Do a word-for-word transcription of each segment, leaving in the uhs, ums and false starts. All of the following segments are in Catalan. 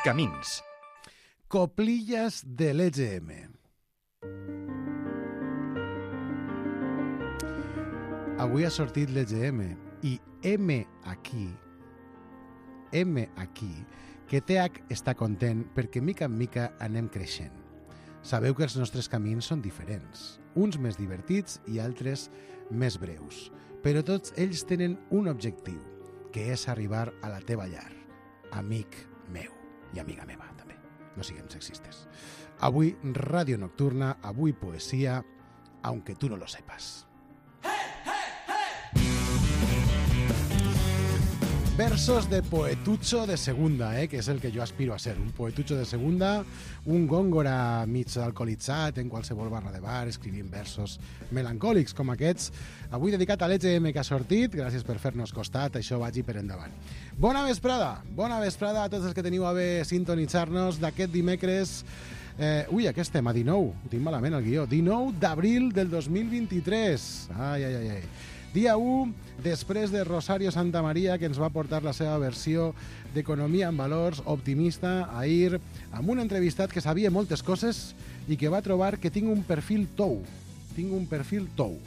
Camins. Coplillas de l'E G M. Avui ha sortit l'E G M i M aquí, M aquí, que T H està content perquè mica en mica anem creixent. Sabeu que els nostres camins són diferents, uns més divertits i altres més breus, però tots ells tenen un objectiu, que és arribar a la teva llar, amic meu i amiga meva també, no siguem sexistes. Avui Ràdio Nocturna, avui poesia, aunque tú no lo sepas. Versos de poetucho de segunda, eh, que és el que jo aspiro a ser, un poetucho de segunda, un góngora mig alcoholitzat en qualsevol barra de bar, escrivint versos melancòlics com aquests. Avui dedicat a l'E G M que ha sortit, gràcies per fer-nos costat, això vagi per endavant. Bona vesprada, bona vesprada a tots els que teniu a bé sintonitzar-nos d'aquest dimecres. Eh, ui, aquí estem, a dinou, ho tinc malament el guió, dinou d'abril del dos mil vint-i-tres. Ai, ai, ai, ai. Dia u, després de Rosario Santamaría, que ens va portar la seva versió d'Economia en Valors, optimista, ahir, amb un entrevistat que sabia moltes coses i que va trobar que tinc un perfil tou. Tinc un perfil tou.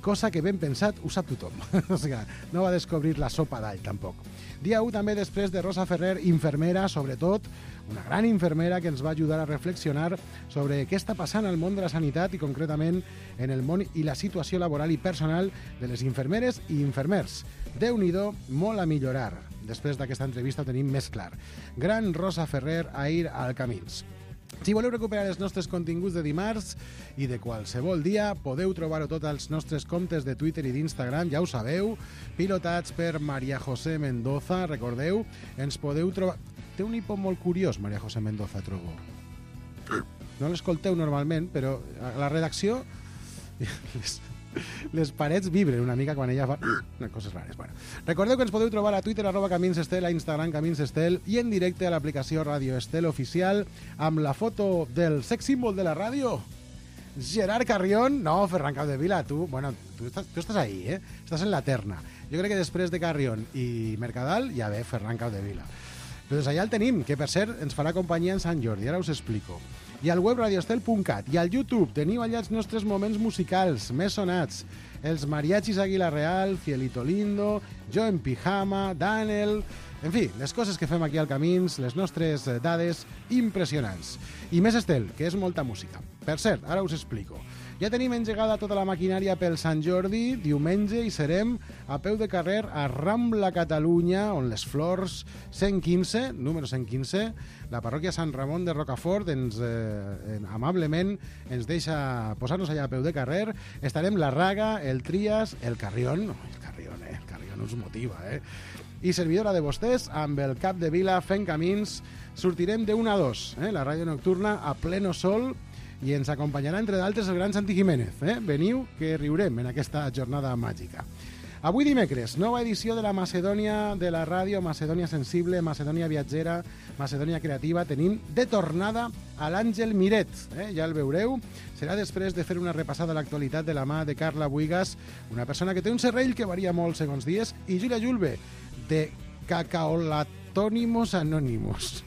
Cosa que ben pensat ho sap tothom. O sigui, no va descobrir la sopa d'all, tampoc. Dia u també després de Rosa Ferrer, infermera, sobretot, una gran infermera que ens va ajudar a reflexionar sobre què està passant al món de la sanitat i concretament en el món i la situació laboral i personal de les infermeres i infermers. Déu-n'hi-do, molt a millorar. Després d'aquesta entrevista ho tenim més clar. Gran Rosa Ferrer ahir al Camins. Si voleu recuperar els nostres continguts de dimarts i de qualsevol dia, podeu trobar-ho tot als nostres comptes de Twitter i d'Instagram, ja ho sabeu, pilotats per María José Mendoza, recordeu, ens podeu trobar... Té un hipo molt curiós, María José Mendoza, trobo. No l'escolteu normalment, però a la redacció les, les parets vibren una mica quan ella fa coses rares. Bueno, recordeu que ens podeu trobar a Twitter, arroba Camins Estel, a Instagram Camins Estel i en directe a l'aplicació Ràdio Estel Oficial amb la foto del sex symbol de la ràdio, Gerard Carrión. No, Ferran Capdevila, tu, bueno, tu estàs, tu estàs ahí, eh? Estàs en la terna. Jo crec que després de Carrión i Mercadal ja ve Ferran Capdevila. Doncs allà el tenim, que per cert ens farà companyia en Sant Jordi, ara us explico. I al web radioestel punt cat i al YouTube teniu allà els nostres moments musicals més sonats. Els mariachis Águila Real, Cielito Lindo, Jo en Pijama, Daniel... En fi, les coses que fem aquí al Camins, les nostres dades impressionants. I més Estel, que és molta música. Per cert, ara us explico. Ja tenim engegada tota la maquinària pel Sant Jordi, diumenge, i serem a peu de carrer a Rambla Catalunya, on les Flors, cent quinze, número cent quinze, la parròquia Sant Ramon de Rocafort ens, eh, amablement ens deixa posar-nos allà a peu de carrer. Estarem la Raga, el Trias, el Carrión, no, el Carrión, eh, el Carrión us motiva, eh, i servidora de vostès, amb el cap de vila fent camins. Sortirem de una a dos, eh, la ràdio nocturna a pleno sol, i ens acompanyarà, entre d'altres, el gran Santi Jiménez. Eh? Veniu, que riurem en aquesta jornada màgica. Avui dimecres, nova edició de la Macedònia de la ràdio, Macedònia sensible, Macedònia viatgera, Macedònia creativa. Tenim de tornada a l'Àngel Miret, eh? Ja el veureu. Serà després de fer una repassada a l'actualitat de la mà de Carla Buigas, una persona que té un serrell que varia molt segons dies, i Júlia Julve, de Cacaolatònimos Anònimos.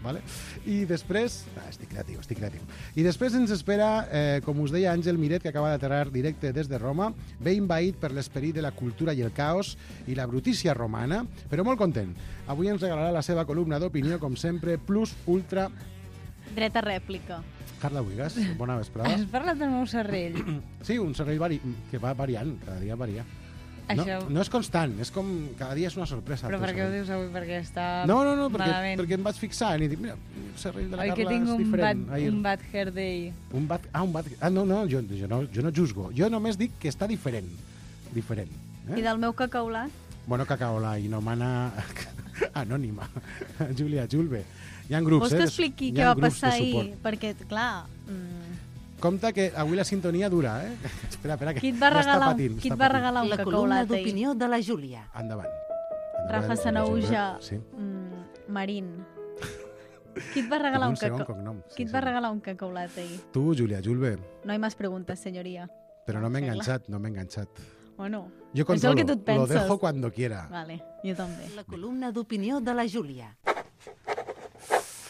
Vale? I després... Ah, estic creatiu, estic creatiu. I després ens espera, eh, com us deia, Àngel Miret, que acaba d'aterrar directe des de Roma, bé invaït per l'esperit de la cultura i el caos i la brutícia romana, però molt content. Avui ens regalarà la seva columna d'opinió, com sempre, plus ultra... Dreta rèplica. Carla Buigas, bona vesprada. Has parlat del meu serrell? Sí, un serrell vari... que va variant, cada dia varia. No, Això... no és constant, és com cada dia és una sorpresa. Però per què ho dius avui? Perquè està no, no, no, perquè, malament. perquè em vaig fixar i dic, mira, el serrell de la Oi, Carla és un diferent. bad, un bad hair day. Un bad, ah, un bad, ah, no, no, jo, jo, no, jo no juzgo. Jo només dic que està diferent. Diferent. Eh? I del meu cacaulat? Bueno, cacaola i no mana anònima. Júlia Julve. Hi ha grups, Vols eh? que expliqui què va passar ahir? Perquè, clar... Mm... Compte que avui la sintonia dura, eh? Espera, espera, que qui et va ja regalar, patint, qui et va regalar un la cacaulat columna ahir? d'opinió de la Júlia. Endavant. Endavant. Rafa Sanauja, Sí. mm, Marín. Qui et va regalar un, segon cacau... cognom. Qui et va regalar un cacaulat ahí? Tu, Júlia Julve. No hay más preguntas, señoría. Pero no me he enganxat, no me he enganxat. Bueno, Yo és el controlo, que tu et lo penses. dejo cuando quiera. Vale, jo també. La columna d'opinió de la Júlia.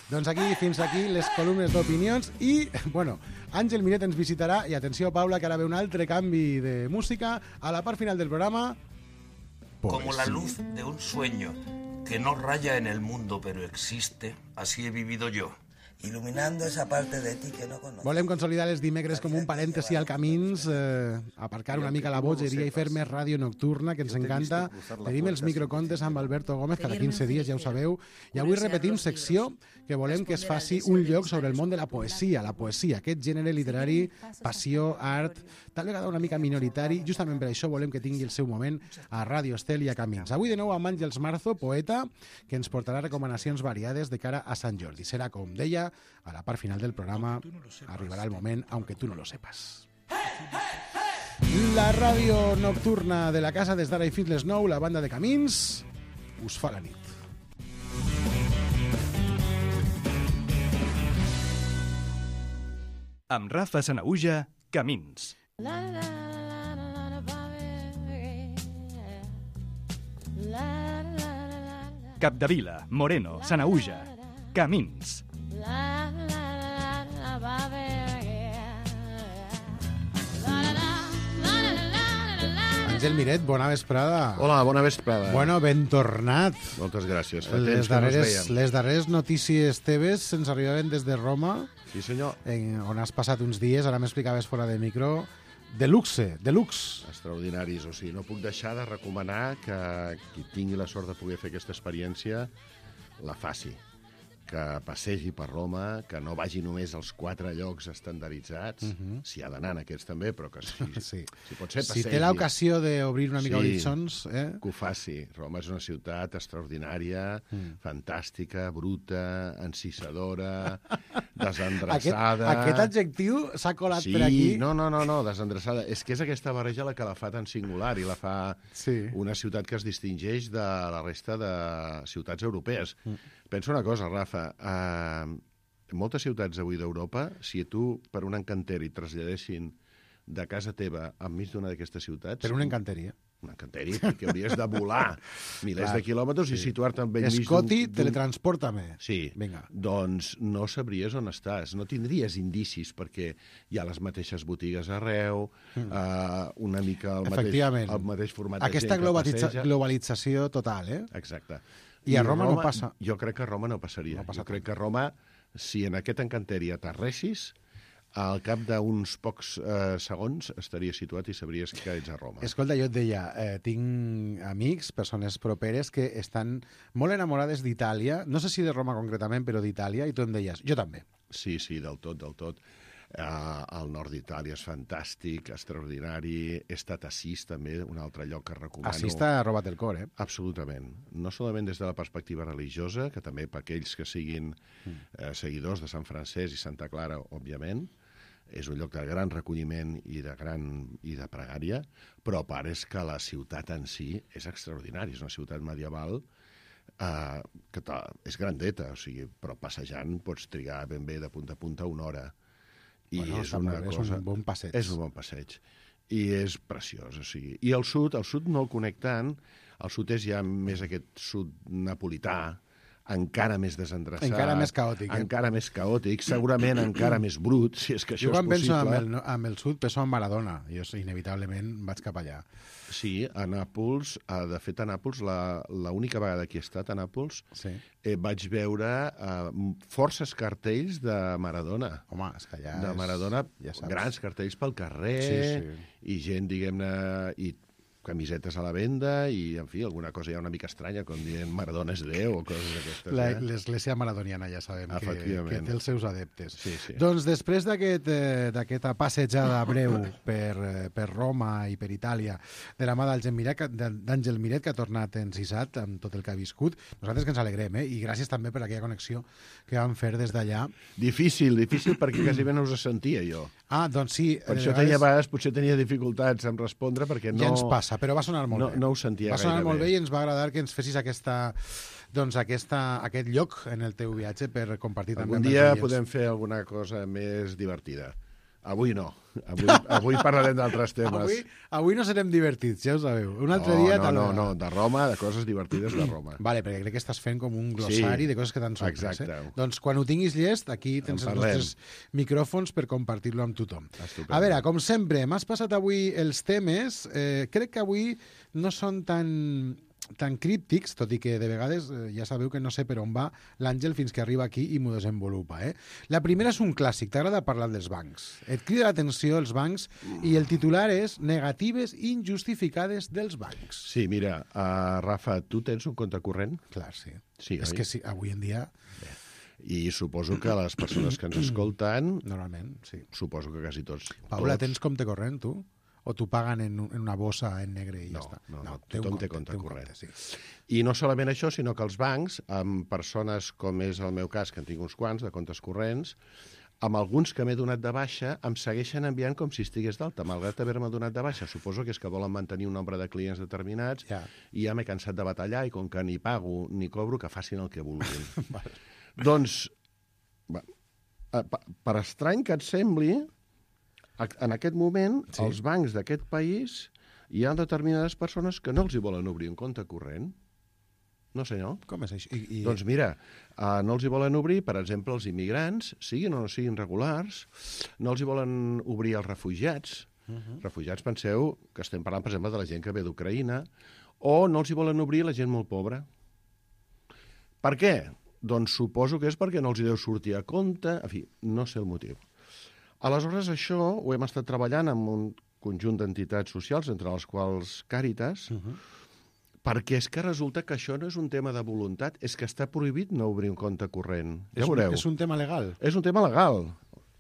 Doncs aquí, fins aquí, les columnes d'opinions i, bueno, Àngel Miret ens visitarà i atenció, Paula, que ara ve un altre canvi de música a la part final del programa. Como la luz de un sueño que no raya en el mundo pero existe, así he vivido yo. Iluminando esa parte de ti que no conozco. Volem consolidar els dimecres com un parèntesi al Camins, eh, aparcar una mica la bogeria i fer més ràdio nocturna, que ens encanta. Tenim els microcontes amb Alberto Gómez cada quinze dies, ja ho sabeu. I avui repetim secció que volem que es faci un lloc sobre el món de la poesia, la poesia, aquest gènere literari, passió, art, tal vegada una mica minoritari. Justament per això volem que tingui el seu moment a Ràdio Estel i a Camins. Avui de nou amb Àngels Marzo, poeta, que ens portarà recomanacions variades de cara a Sant Jordi. Serà, com deia, a la part final del programa arribarà el moment, aunque tú no lo sepas. La ràdio nocturna de la casa des d'ara i fins les nou, la banda de Camins us fa la nit. Amb Rafa Sanahuja, Camins. Capdevila, Moreno, Sanahuja, Camins. Àngel Miret, bona vesprada. Hola, bona vesprada. Bueno, ben tornat. Moltes gràcies. Fa Les temps que no ens darreres, veiem. les darreres notícies teves ens arribaven des de Roma, Sí, senyor. en, on has passat uns dies, ara m'explicaves fora de micro, de luxe, de lux. Extraordinaris. O sigui, no puc deixar de recomanar que qui tingui la sort de poder fer aquesta experiència la faci. Que passegi per Roma, que no vagi només als quatre llocs estandarditzats, uh -huh. si ha d'anar en aquests també, però que si, Sí. si pot ser, Si passegi. té l'ocasió d'obrir una mica Sí. horitzons, eh? Que ho faci. Roma és una ciutat extraordinària, mm. fantàstica, bruta, encisadora, Aquest, desendreçada... aquest adjectiu s'ha colat Sí, per aquí. no, no, no, no, desendreçada. És que és aquesta barreja la que la fa tan singular i la fa Sí. una ciutat que es distingeix de la resta de ciutats europees. Mm. Pensa una cosa, Rafa, eh, en moltes ciutats avui d'Europa, si tu per un encanteri et traslladessin de casa teva enmig d'una d'aquestes ciutats... Per una encanteria. Un encanteri, perquè hauries de volar milers Clar, de quilòmetres sí. i situar-te enmig d'un... Escoti, d'un- teletransporta-me. Sí, Vinga. doncs no sabries on estàs, no tindries indicis perquè hi ha les mateixes botigues arreu, mm. uh, una mica el mateix, Efectivament. el mateix format de Aquesta gent que globalitza passeja. globalització total, eh? Exacte. I a Roma no passa. Jo crec que a Roma no passaria. No passa jo crec que a Roma, si en aquest encanteri aterressis, al cap d'uns pocs eh, segons estaries situat i sabries que ets a Roma. Escolta, jo et deia, eh, tinc amics, persones properes, que estan molt enamorades d'Itàlia, no sé si de Roma concretament, però d'Itàlia, i tu em deies, jo també. Sí, sí, del tot, del tot. Uh, el nord d'Itàlia és fantàstic, extraordinari. He estat a Assís, també, un altre lloc que recomano. Assís t'ha robat el cor, eh? Absolutament. No solament des de la perspectiva religiosa, que també per aquells que siguin eh, seguidors de Sant Francesc i Santa Clara, òbviament, és un lloc de gran recolliment i de gran i de pregària, però a part és que la ciutat en si és extraordinària. És una ciutat medieval eh, que és grandeta, o sigui, però passejant pots trigar ben bé de punta a punta una hora. I Bueno, és està una molt bé, és cosa... un bon passeig. És un bon passeig. I és preciós, o sigui. I el sud, el sud no el conec tant, el sud és ja més aquest sud napolità, encara més desendreçat. Encara més caòtic, eh? Encara més caòtic, segurament encara més brut, si és que això Jo quan és penso possible. amb el, amb el sud, penso en Maradona. Jo inevitablement vaig cap allà. Sí, a Nàpols, eh, de fet a Nàpols, la, la única vegada que he estat a Nàpols, Sí. eh, vaig veure eh, forces cartells de Maradona. Home, és que allà de és... Maradona, ja saps. grans cartells pel carrer, Sí, sí. i gent, diguem-ne, i camisetes a la venda, i, en fi, alguna cosa ja una mica estranya, com dient Maradona és Déu, o coses d'aquestes. La- Eh? L'església maradoniana ja sabem que, Efectivament. que té els seus adeptes. Sí, sí. Doncs després d'aquest, eh, d'aquesta passejada breu per, eh, per Roma i per Itàlia de la mà d'Àngel Miret, que- d'Àngel Miret, que ha tornat encisat amb tot el que ha viscut, nosaltres que ens alegrem, eh? I gràcies també per aquella connexió que vam fer des d'allà. Difícil, difícil, perquè quasi bé no us sentia jo. Ah, doncs sí. Per de això tenia, a vegades potser tenia dificultats en respondre, perquè no... Ja ens passa, però va sonar molt no, bé. no ho sentia Va sonar gaire molt bé. bé i ens va agradar que ens fessis aquesta, doncs aquesta, aquest lloc en el teu viatge per compartir també Algun amb els dia oients. podem fer alguna cosa més divertida. Avui no. Avui, avui parlarem d'altres temes. Avui, avui no serem divertits, ja ho sabeu. Un altre no, dia... No, tal no, vegada. no, de Roma, de coses divertides de Roma. Vale, perquè crec que estàs fent com un glossari Sí, de coses que t'han sorprès. exacte. Eh? Doncs quan ho tinguis llest, aquí tens En els parlem. nostres micròfons per compartir-lo amb tothom. Estupendo. A veure, com sempre, m'has passat avui els temes. Eh, crec que avui no són tan tan críptics, tot i que de vegades eh, ja sabeu que no sé per on va l'Àngel fins que arriba aquí i m'ho desenvolupa. Eh? La primera és un clàssic, t'agrada parlar dels bancs. Et crida l'atenció els bancs i el titular és Negatives injustificades dels bancs. Sí, mira, uh, Rafa, tu tens un compte corrent? Clar, sí. Sí, és oi? que sí, avui en dia, I suposo que les persones que ens escolten, normalment, sí. suposo que quasi tots. Paula, tots, tens compte corrent, tu? O t'ho paguen en, un- en una bossa en negre i No, ja està? no, no, té un tothom té compte un corrent. sí. I no solament això, sinó que els bancs, amb persones com és el meu cas, que en tinc uns quants, de comptes corrents, amb alguns que m'he donat de baixa, em segueixen enviant com si estigués d'alta, malgrat haver-me donat de baixa. Suposo que és que volen mantenir un nombre de clients determinats Ja. i ja m'he cansat de batallar i com que ni pago ni cobro, que facin el que vulguin. Doncs, va, eh, pa- per estrany que et sembli, a- en aquest moment, Sí. sí. els bancs d'aquest país hi ha determinades persones que no els hi volen obrir un compte corrent. No, senyor. Com és això? I, i... Doncs mira, uh, no els hi volen obrir, per exemple, els immigrants, siguin o no siguin regulars, no els hi volen obrir els refugiats. Uh -huh. Refugiats, penseu que estem parlant, per exemple, de la gent que ve d'Ucraïna, o no els hi volen obrir la gent molt pobra. Per què? Doncs suposo que és perquè no els hi deu sortir a compte, en fi, no sé el motiu. Aleshores, això ho hem estat treballant amb un conjunt d'entitats socials, entre les quals Càritas, uh -huh. perquè és que resulta que això no és un tema de voluntat, és que està prohibit no obrir un compte corrent. Ja és, un, veureu. és un tema legal. És un tema legal.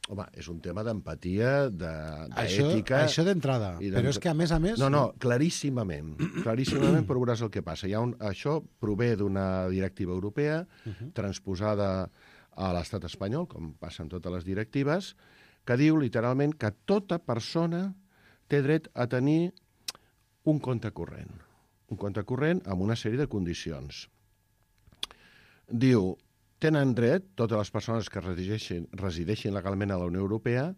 Home, és un tema d'empatia, Això, d'ètica... això d'entrada. i Però és que, a més a més... No, no, claríssimament. Claríssimament, però veuràs el que passa. Hi ha un, això prové d'una directiva europea uh -huh. transposada a l'estat espanyol, com passa en totes les directives, que diu literalment que tota persona té dret a tenir un compte corrent. Un compte corrent amb una sèrie de condicions. Diu, tenen dret, totes les persones que resideixin, resideixin legalment a la Unió Europea,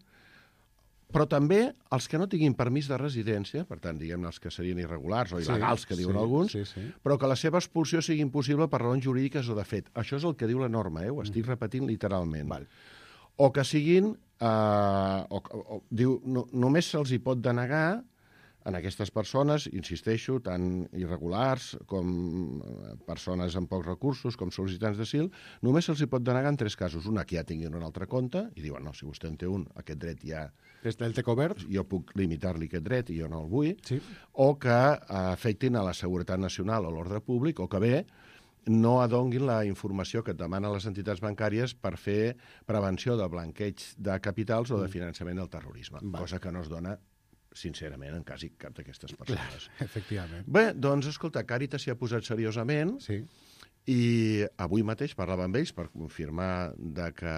però també els que no tinguin permís de residència, per tant, diguem-ne els que serien irregulars o il·legals, que diuen sí, alguns, sí, sí. però que la seva expulsió sigui impossible per raons jurídiques o de fet. Això és el que diu la norma, eh? Ho estic repetint literalment. Val. O que siguin... Eh, o, o, diu, no, només se'ls hi pot denegar en aquestes persones, insisteixo, tant irregulars com persones amb pocs recursos, com sol·licitants d'asil, només se'ls hi pot denegar en tres casos. Una, que ja tinguin un altre compte, i diuen, no, si vostè en té un, aquest dret ja... Des del té cobert? Jo puc limitar-li aquest dret i jo no el vull. Sí. O que eh, afectin a la seguretat nacional o l'ordre públic, o que bé, no adonguin la informació que et demanen les entitats bancàries per fer prevenció de blanqueig de capitals o de finançament del terrorisme, Val. cosa que no es dona, sincerament, en quasi cap d'aquestes persones. Efectivament. Bé, doncs, escolta, Càritas s'hi ha posat seriosament Sí. i avui mateix parlava amb ells per confirmar de que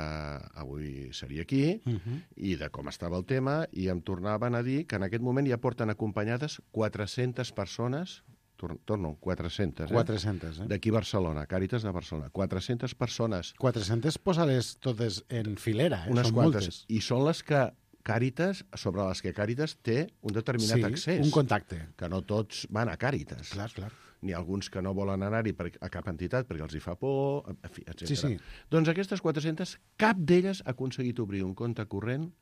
avui seria aquí Uh -huh. i de com estava el tema, i em tornaven a dir que en aquest moment ja porten acompanyades quatre-centes persones, tor torno, quatre-centes, eh? quatre-centes, eh? D'aquí Barcelona, Càritas de Barcelona. quatre-centes persones, quatre-centes posa-les totes en filera, eh? unes Són quantes, moltes. i són les que Càritas, sobre les que Càritas té un determinat Sí, accés. un contacte. Que no tots van a Càritas. Clar, clar. N'hi ha alguns que no volen anar-hi per- a cap entitat perquè els hi fa por, en fi, etcètera. Sí, sí. Doncs aquestes quatre-centes, cap d'elles ha aconseguit obrir un compte corrent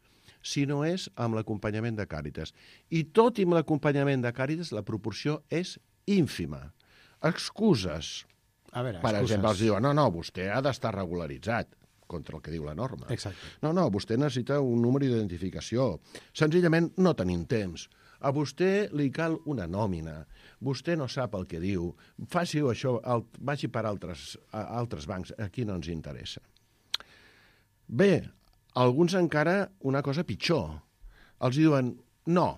si no és amb l'acompanyament de Càritas. I tot i amb l'acompanyament de Càritas, la proporció és ínfima. Excuses. A veure, Per excuses. exemple, els diuen, no, no, vostè ha d'estar regularitzat contra el que diu la norma. Exacte. No, no, vostè necessita un número d'identificació. Senzillament no tenim temps. A vostè li cal una nòmina. Vostè no sap el que diu. Faci això, el, vagi per altres, a altres bancs. Aquí no ens interessa. Bé, alguns encara una cosa pitjor. Els diuen, no,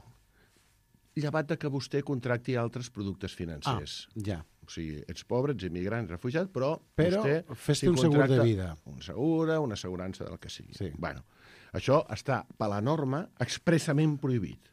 llevat de que vostè contracti altres productes financers. Ah, ja. O sigui, ets pobre, ets immigrant, ets refugiat, però, Però vostè... fes-te si un segur de contracta vida. Un segura, una assegurança del que sigui. Sí. Bueno, això està, per la norma, expressament prohibit.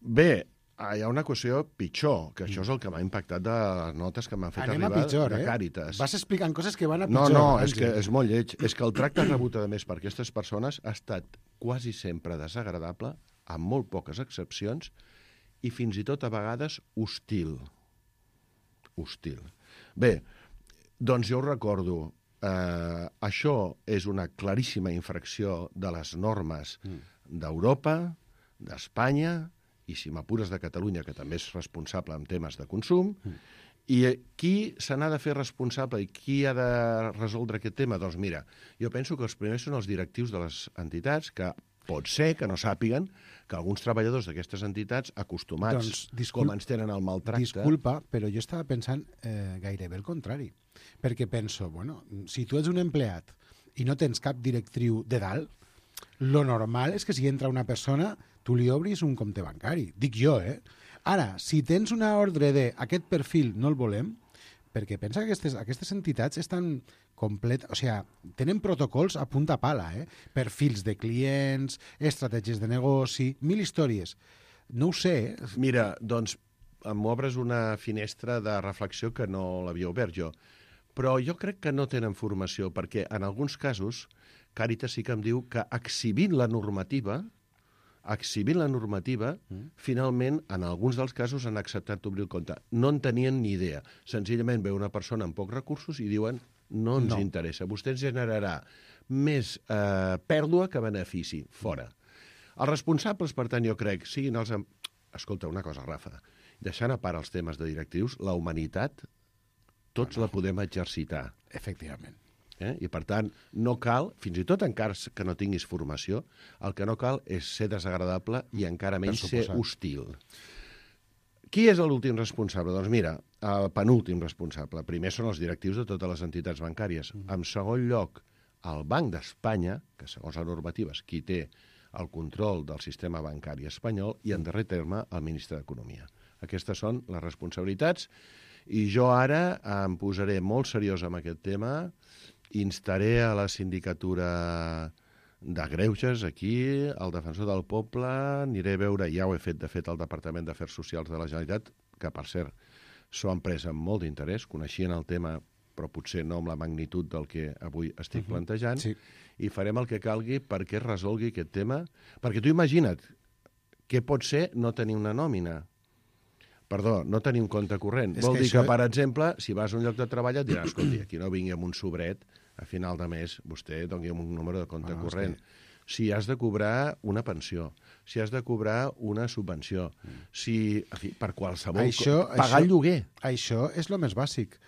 Bé, hi ha una qüestió pitjor, que això és el que m'ha impactat de les notes que m'han fet Anem a arribar pitjor, de eh? Càritas. Vas explicant coses que van a No, pitjor. no, és Àngel. que és molt lleig. És que el tracte rebut, a més, per aquestes persones ha estat quasi sempre desagradable, amb molt poques excepcions, i fins i tot a vegades hostil. Hostil. Bé, doncs jo ho recordo, eh, això és una claríssima infracció de les normes mm. d'Europa, d'Espanya, i si m'apures de Catalunya, que també és responsable en temes de consum, mm. i qui se n'ha de fer responsable i qui ha de resoldre aquest tema? Doncs mira, jo penso que els primers són els directius de les entitats, que pot ser que no sàpiguen que alguns treballadors d'aquestes entitats, acostumats doncs, discul... com ens tenen el maltracte... Disculpa, però jo estava pensant eh, gairebé el contrari. Perquè penso, bueno, si tu ets un empleat i no tens cap directriu de dalt, lo normal és que si entra una persona, tu li obris un compte bancari. Dic jo, eh? Ara, si tens una ordre de aquest perfil no el volem, perquè pensa que aquestes, aquestes entitats estan complet, o sigui, tenen protocols a punta pala, eh? Perfils de clients, estratègies de negoci, mil històries. No ho sé. Eh? Mira, doncs m'obres una finestra de reflexió que no l'havia obert jo. Però jo crec que no tenen formació, perquè en alguns casos Càritas sí que em diu que exhibint la normativa, exhibint la normativa, mm. finalment, en alguns dels casos han acceptat obrir el compte. No en tenien ni idea. Senzillament ve una persona amb pocs recursos i diuen no ens no. interessa. Vostè ens generarà més eh, pèrdua que benefici. Fora. Els responsables, per tant, jo crec, siguin els... Escolta, una cosa, Rafa, deixant a part els temes de directius, la humanitat tots la podem exercitar. Efectivament. Eh? I, per tant, no cal, fins i tot encara que no tinguis formació, el que no cal és ser desagradable i encara menys ser hostil. Qui és l'últim responsable? Doncs mira, el penúltim responsable. Primer són els directius de totes les entitats bancàries. Mm. En segon lloc, el Banc d'Espanya, que segons la normativa és qui té el control del sistema bancari espanyol, i en darrer terme el ministre d'Economia. Aquestes són les responsabilitats i jo ara em posaré molt seriós amb aquest tema, instaré a la sindicatura de Greuges aquí, al Defensor del Poble, aniré a veure, ja ho he fet, de fet, al Departament d'Afers Socials de la Generalitat, que, per cert, s'ho han pres amb molt d'interès, coneixien el tema, però potser no amb la magnitud del que avui estic uh-huh. plantejant, sí. i farem el que calgui perquè es resolgui aquest tema. Perquè tu imagina't, què pot ser no tenir una nòmina? Perdó, no tenir un compte corrent. És Vol que dir això... que, per exemple, si vas a un lloc de treball et diràs, escolti, aquí no vingui amb un sobret, a final de mes vostè doni un número de compte ah, corrent. Que... Si has de cobrar una pensió, si has de cobrar una subvenció, mm. si, en fi, per qualsevol... Això, pagar això, el lloguer. Això és el més bàsic,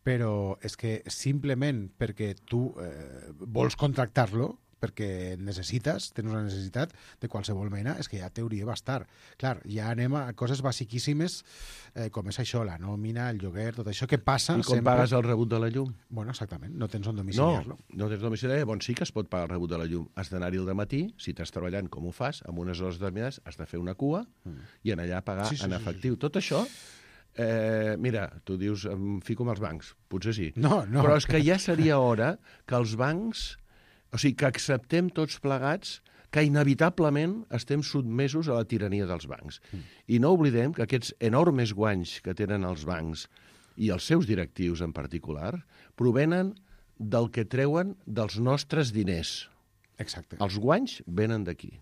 però és que simplement perquè tu eh, vols contractar-lo, perquè necessites, tens una necessitat de qualsevol mena, és que ja t'hauria bastar. Clar, ja anem a coses basiquíssimes, eh, com és això, la nòmina, el lloguer, tot això que passa sempre... I com sempre... pagues el rebut de la llum? Bueno, exactament, no tens on domiciliar-lo. No, no tens domiciliar, bon, sí que es pot pagar el rebut de la llum. Has d'anar-hi al dematí, si estàs treballant com ho fas, amb unes hores determinades, has de fer una cua mm. i anar allà a pagar sí, sí, en efectiu. Sí, sí. Tot això... Eh, mira, tu dius, em fico amb els bancs, potser sí. No, no. Però és que ja seria hora que els bancs... O sigui, que acceptem tots plegats que inevitablement estem sotmesos a la tirania dels bancs. Mm. I no oblidem que aquests enormes guanys que tenen els bancs i els seus directius en particular provenen del que treuen dels nostres diners. Exacte. Els guanys venen d'aquí.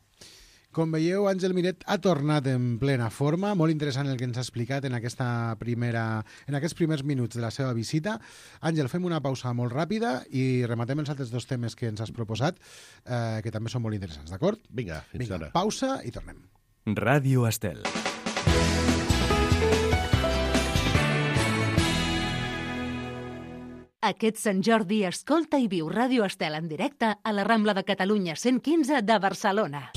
Com veieu, Àngel Miret ha tornat en plena forma. Molt interessant el que ens ha explicat en, aquesta primera, en aquests primers minuts de la seva visita. Àngel, fem una pausa molt ràpida i rematem els altres dos temes que ens has proposat, eh, que també són molt interessants, d'acord? Vinga, fins Vinga, ara. Pausa i tornem. Ràdio Estel. Aquest Sant Jordi escolta i viu Ràdio Estel en directe a la Rambla de Catalunya cent quinze de Barcelona.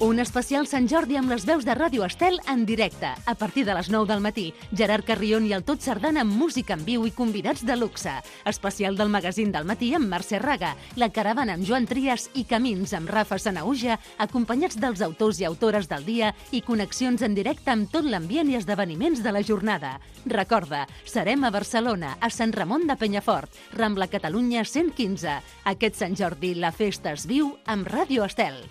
Un especial Sant Jordi amb les veus de Ràdio Estel en directe. A partir de les nou del matí, Gerard Carrion i el Tot Sardana amb música en viu i convidats de luxe. Especial del magazín del matí amb Mercè Raga, La Caravana amb Joan Trias i Camins amb Rafa Sanahuja, acompanyats dels autors i autores del dia i connexions en directe amb tot l'ambient i esdeveniments de la jornada. Recorda, serem a Barcelona, a Sant Ramon de Penyafort, Rambla Catalunya cent quinze. Aquest Sant Jordi la festa es viu amb Ràdio Estel.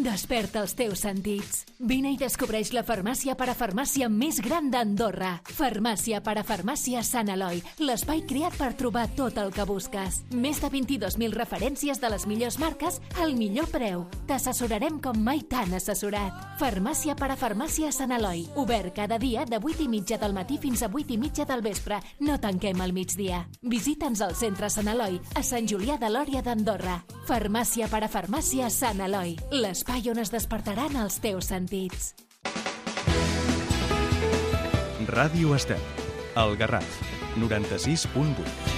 Desperta els teus sentits. Vine i descobreix la farmàcia parafarmàcia més gran d'Andorra. Farmàcia parafarmàcia Sant Eloi, l'espai creat per trobar tot el que busques. Més de vint-i-dos mil referències de les millors marques al millor preu. T'assessorarem com mai t'han assessorat. Farmàcia parafarmàcia Sant Eloi, obert cada dia de vuit i mitja del matí fins a vuit i mitja del vespre. No tanquem al migdia. Visita'ns al centre Sant Eloi, a Sant Julià de Lòria d'Andorra. Farmàcia parafarmàcia Sant Eloi, l'espai on es despertaran els teus sentits. Ràdio Estel, El Garraf, noranta-sis punt vuit.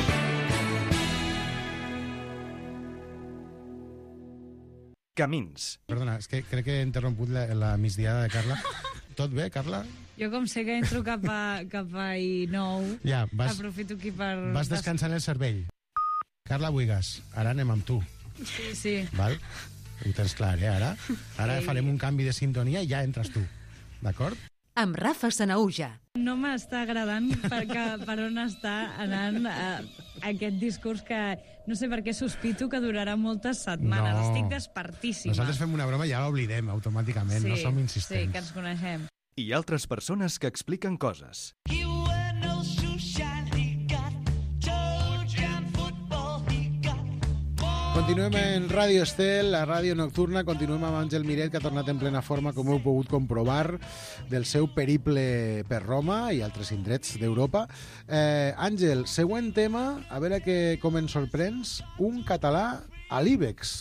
Camins. Perdona, és que crec que he interromput la, la migdiada de Carla. Tot bé, Carla? Jo, com sé que entro cap a, cap a i nou, ja, vas, aprofito aquí per... Vas descansant el cervell. Carla Buigas, ara anem amb tu. Sí, sí. Val? Ho tens clar, eh, ara? Ara sí. Farem un canvi de sintonia i ja entres tu. D'acord? Amb Rafa Sanahuja. No m'està agradant perquè, per on està anant eh, aquest discurs que no sé per què sospito que durarà moltes setmanes. No. Estic despertíssima. Nosaltres fem una broma i ja l'oblidem automàticament, sí, no som insistents. Sí, que ens coneixem. I altres persones que expliquen coses. Continuem en Ràdio Estel, la ràdio nocturna. Continuem amb Àngel Miret, que ha tornat en plena forma, com heu pogut comprovar, del seu periple per Roma i altres indrets d'Europa. Eh, Àngel, següent tema, a veure que, com ens sorprens, un català a l'Ibex.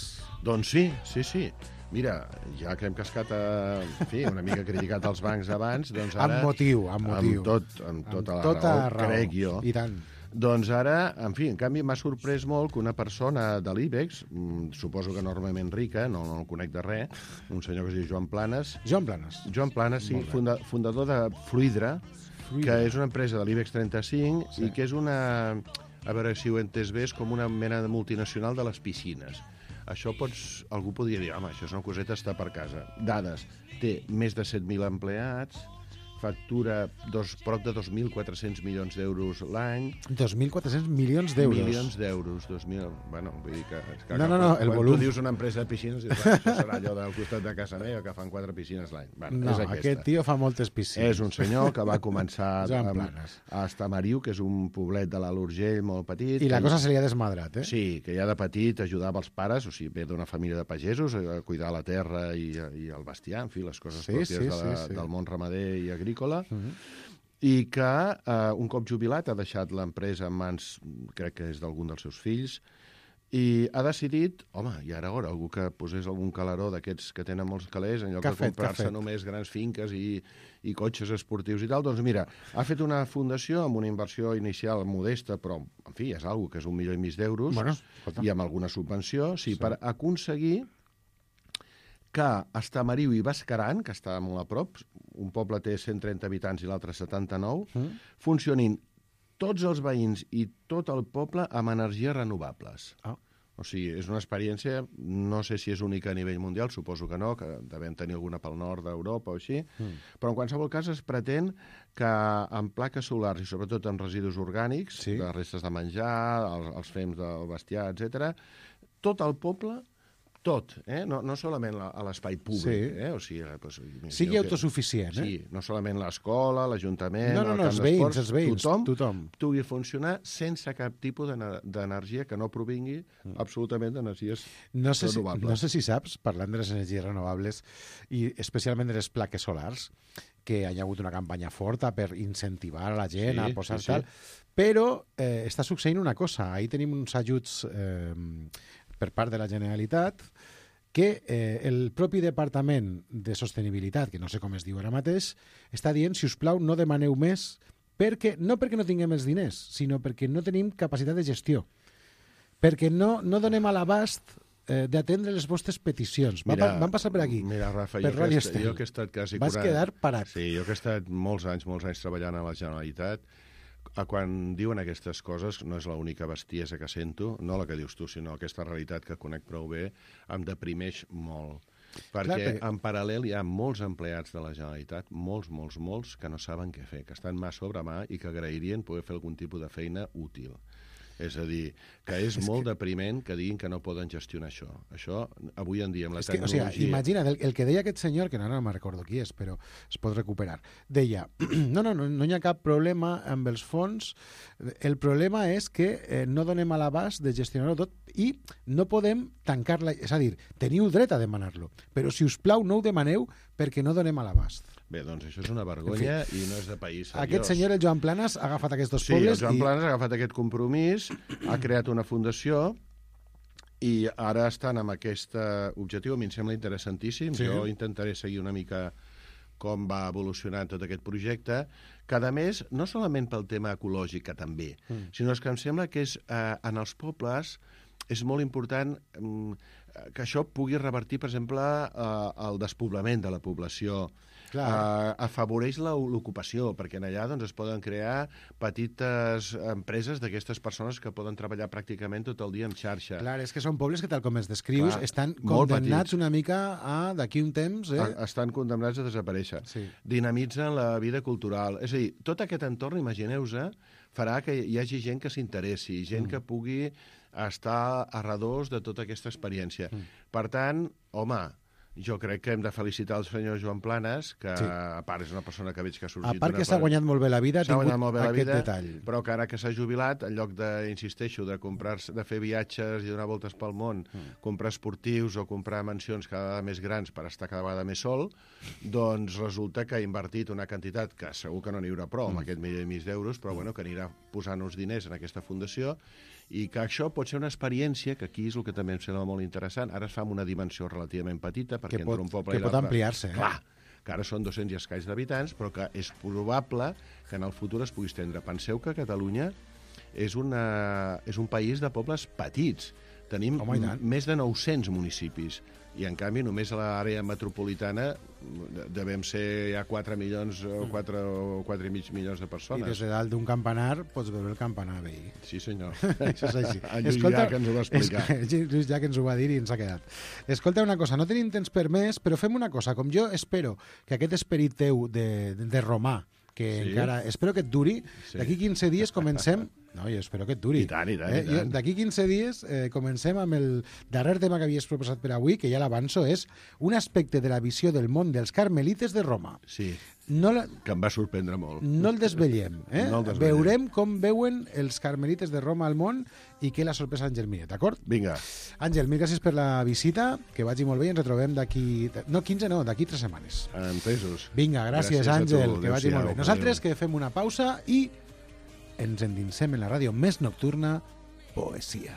Doncs sí, sí, sí. Mira, ja que hem cascat, a, en fi, una mica criticat els bancs abans, doncs ara... Amb motiu, amb motiu. Amb, tot, amb tota amb la tota raó, raó, crec jo. I tant. Doncs ara, en fi, en canvi m'ha sorprès molt que una persona de l'Ibex, suposo que enormement rica, no, no el conec de res, un senyor que es diu Joan Planes. Joan Planes. Joan Planes, sí, funda, fundador de Fluidra, Fluidra, que és una empresa de l'Ibex trenta-cinc sí. I que és una, a veure si ho he entès bé, és com una mena de multinacional de les piscines. Això pots, algú podria dir, home, això és una coseta, està per casa. Dades, té més de set mil empleats, factura dos, prop de dos mil quatre-cents milions d'euros l'any. dos mil quatre-cents milions d'euros? Milions d'euros, dos mil... Bueno, vull dir que... que no, no, no, el quan volum... tu dius una empresa de piscines, dius, això serà allò del costat de casa meva, que fan quatre piscines l'any. Bueno, no, és aquest tio fa moltes piscines. És un senyor que va començar a, a Estamariu, que és un poblet de l'Alt Urgell molt petit. I la que, cosa se li ha desmadrat, eh? Sí, que ja de petit ajudava els pares, o sigui, ve d'una família de pagesos, a cuidar la terra i, i el bestiar, en fi, les coses sí, pròpies sí, de la, sí, sí. del món ramader i agrícola. Uh-huh. I que eh, un cop jubilat ha deixat l'empresa en mans, crec que és d'algun dels seus fills, i ha decidit, home, i ara ara, algú que posés algun calaró d'aquests que tenen molts calés, en lloc de comprar-se només grans finques i, i cotxes esportius i tal, doncs mira, ha fet una fundació amb una inversió inicial modesta, però, en fi, és algo que és un milió i mig d'euros, bueno, i amb alguna subvenció, sí, sí. per aconseguir que Estamariu i Bascaran, que està molt a prop, un poble té cent trenta habitants i l'altre setanta-nou, mm. funcionin tots els veïns i tot el poble amb energies renovables. Ah. O sigui, és una experiència, no sé si és única a nivell mundial, suposo que no, que devem tenir alguna pel nord d'Europa o així, mm. però en qualsevol cas es pretén que amb plaques solars i sobretot amb residus orgànics, sí. de restes de menjar, els, els fems del bestiar, etcètera, tot el poble... Tot, eh? no, no solament la, a l'espai públic. Sí. Eh? O sigui, pues, sigui autosuficient. Que, eh? Sí, no solament l'escola, l'Ajuntament, no, no, no, el camp els veïns, d'esports, els veïns, tothom, tothom pugui funcionar sense cap tipus d'energia que no provingui mm. absolutament d'energies no sé renovables. Si, no sé si saps, parlant de les energies renovables, i especialment de les plaques solars, que hi ha hagut una campanya forta per incentivar a la gent sí, a posar sí, tal, sí. però eh, està succeint una cosa. Ahir tenim uns ajuts eh, per part de la Generalitat que eh, el propi Departament de Sostenibilitat, que no sé com es diu ara mateix, està dient, si us plau, no demaneu més, perquè, no perquè no tinguem els diners, sinó perquè no tenim capacitat de gestió, perquè no, no donem a l'abast eh, d'atendre les vostres peticions. Mira, van, van passar per aquí, mira, Rafa, per jo, que est, jo que he estat quasi Vas quaranta... quedar parat. Sí, jo que he estat molts anys, molts anys treballant a la Generalitat, quan diuen aquestes coses, no és l'única bestiesa que sento, no la que dius tu, sinó aquesta realitat que conec prou bé, em deprimeix molt. Perquè Clar, perquè... en paral·lel hi ha molts empleats de la Generalitat, molts, molts, molts, que no saben què fer, que estan mà sobre mà i que agrairien poder fer algun tipus de feina útil. És a dir, que és, és molt que... depriment que diguin que no poden gestionar això. Això, avui en dia, amb la és que, tecnologia... O sigui, imagina't, el, el que deia aquest senyor, que no, no me'n recordo qui és, però es pot recuperar, deia, no, no, no, no hi ha cap problema amb els fons, el problema és que eh, no donem a l'abast de gestionar-ho tot i no podem tancar-la, és a dir, teniu dret a demanar-lo, però si us plau no ho demaneu perquè no donem a l'abast. Bé, doncs això és una vergonya en fi, i no és de país seriós. Aquest senyor, el Joan Planas, ha agafat aquests dos sí, pobles... Sí, el Joan i... Planas ha agafat aquest compromís, ha creat una fundació i ara estan amb aquest objectiu. A mi em sembla interessantíssim. Sí. Jo intentaré seguir una mica com va evolucionant tot aquest projecte, que a més, no solament pel tema ecològic, que també, mm. sinó que em sembla que és, eh, en els pobles és molt important eh, que això pugui revertir, per exemple, eh, el despoblament de la població. Uh, afavoreix l'ocupació, perquè en allà doncs, es poden crear petites empreses d'aquestes persones que poden treballar pràcticament tot el dia en xarxa. Clar, és que són pobles que, tal com els descrius, Clar, estan condemnats petits. Una mica a, d'aquí un temps... Eh? Estan condemnats a desaparèixer. Sí. Dinamitzen la vida cultural. És a dir, tot aquest entorn, imagineu-se, farà que hi hagi gent que s'interessi, gent mm. que pugui estar a redós de tota aquesta experiència. Mm. Per tant, home... Jo crec que hem de felicitar el senyor Joan Planas, que sí. a part és una persona que veig que ha sorgit... A part que s'ha guanyat molt bé la vida, ha tingut aquest vida, detall. Però que ara que s'ha jubilat, en lloc de, insisteixo, de, comprar, de fer viatges i donar voltes pel món, mm. comprar esportius o comprar mansions cada vegada més grans per estar cada vegada més sol, doncs resulta que ha invertit una quantitat que segur que no n'hi haurà prou, mm. amb aquest milió i mig d'euros, però bueno, que anirà posant uns diners en aquesta fundació i que això pot ser una experiència, que aquí és el que també em sembla molt interessant. Ara es fa amb una dimensió relativament petita, perquè que pot, entre un poble que i l'altre... pot ampliar-se. Eh? Clar, que ara són dos-cents i escaig d'habitants, però que és probable que en el futur es pugui estendre. Penseu que Catalunya és, una, és un país de pobles petits. Tenim Home, més de nou-cents municipis. I, en canvi, només a l'àrea metropolitana devem ser ja quatre milions o quatre, o quatre i mig milions de persones. I des de dalt d'un campanar pots veure el campanar veí. Sí, senyor. Això és així. En Lluís Llach ens ho va explicar. Lluís Llach ens ho va dir i ens ha quedat. Escolta una cosa, no tenim temps per més, però fem una cosa. Com jo espero que aquest esperit teu de, de romà, que sí. encara... Espero que et duri, sí. d'aquí quinze dies comencem... No, jo espero que et duri. I tant, i tant, eh? i tant. D'aquí quinze dies eh, comencem amb el darrer tema que havies proposat per avui, que ja l'avanço, és un aspecte de la visió del món dels carmelites de Roma. Sí, no la... que em va sorprendre molt. No el desvetllem. Eh? No el desvetllem. Veurem com veuen els carmelites de Roma al món i què l'ha sorprès Àngel Miret, d'acord? Vinga. Àngel, mil gràcies per la visita, que vagi molt bé i ens retrobem d'aquí... No, quinze no, d'aquí tres setmanes. Entesos. Vinga, gràcies, gràcies Àngel, que vagi molt bé. Nosaltres adeu. Que fem una pausa i ens endinsem en la ràdio més nocturna, Poesia.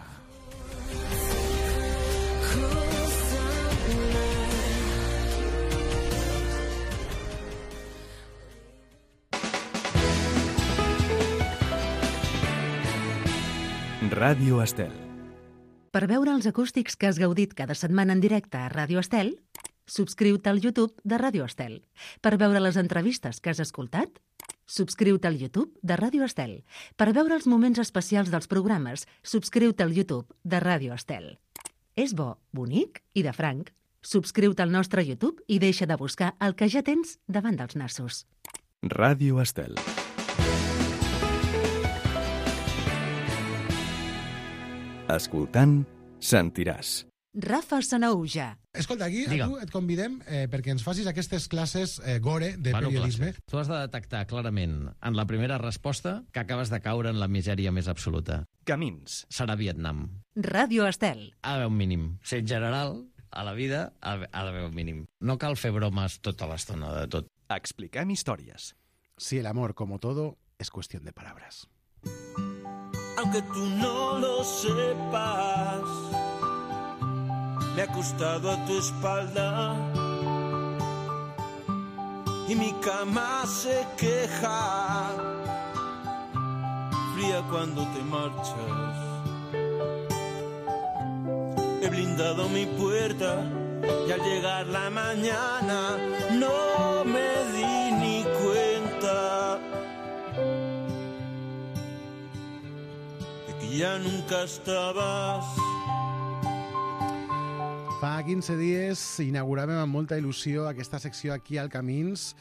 Ràdio Estel. Per veure els acústics que has gaudit cada setmana en directe a Ràdio Estel, subscriu-te al YouTube de Ràdio Estel. Per veure les entrevistes que has escoltat, subscriu-te al YouTube de Ràdio Estel. Per veure els moments especials dels programes, subscriu-te al YouTube de Ràdio Estel. És bo, bonic i de franc. Subscriu-te al nostre YouTube i deixa de buscar el que ja tens davant dels nassos. Ràdio Estel. Escoltant, sentiràs. Rafa Sanaúja. Escolta, aquí a tu et convidem eh, perquè ens facis aquestes classes eh, gore de bueno, periodisme. Classes. Tu has de detectar clarament en la primera resposta que acabes de caure en la misèria més absoluta. Camins. Serà Vietnam. Ràdio Estel. Ha d'haver un mínim. Ser general, a la vida, ha d'haver un mínim. No cal fer bromes tota l'estona de tot. Expliquem històries. Si el amor, como todo, es cuestión de palabras. Aunque tú no lo sepas, me he acostado a tu espalda y mi cama se queja, fría cuando te marchas. He blindado mi puerta y al llegar la mañana no me di ni cuenta de que ya nunca estabas. Fa quinze dies inauguràvem amb molta il·lusió aquesta secció aquí al Camins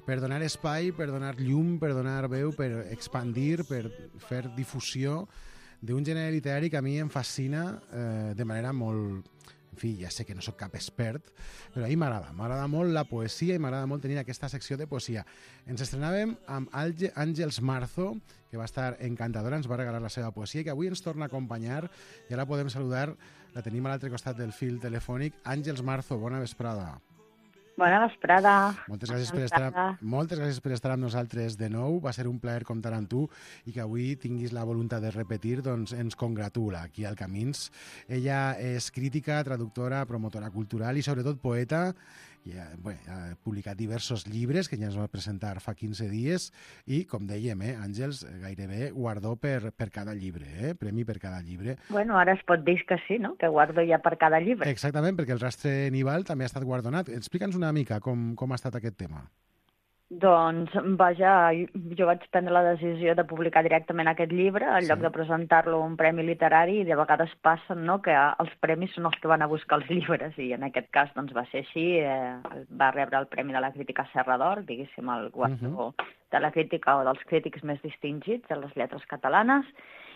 per donar espai, per donar llum, per donar veu, per expandir, per fer difusió d'un gènere literari que a mi em fascina eh, de manera molt... En fi, ja sé que no sóc cap expert, però a mi m'agrada. M'agrada molt la poesia i m'agrada molt tenir aquesta secció de poesia. Ens estrenàvem amb Àngels Marzo, que va estar encantadora, ens va regalar la seva poesia, i que avui ens torna a acompanyar, i ara podem saludar, la tenim a l'altre costat del fil telefònic. Àngels Marzo, bona vesprada. Bona vesprada. Moltes gràcies, per estar, moltes gràcies per estar amb nosaltres de nou. Va ser un plaer comptar amb tu i que avui tinguis la voluntat de repetir, doncs ens congratula aquí al Camins. Ella és crítica, traductora, promotora cultural i sobretot poeta. I ha, bé, ha publicat diversos llibres que ja ens va presentar fa quinze dies i, com dèiem, eh, Àngels, gairebé guardó per, per cada llibre, eh? Premi per cada llibre. Bueno, ara es pot dir que sí, no? Que guardo ja per cada llibre. Exactament, perquè el Rastre Nival també ha estat guardonat. Explica'ns una mica com, com ha estat aquest tema. Doncs, vaja, jo vaig prendre la decisió de publicar directament aquest llibre en lloc sí. de presentar-lo a un premi literari, i de vegades passen, no?, que els premis són els que van a buscar els llibres, i en aquest cas doncs, va ser així. Eh, va rebre el Premi de la Crítica Serra d'Or, diguéssim, el guardó uh -huh. de la crítica o dels crítics més distingits de les lletres catalanes,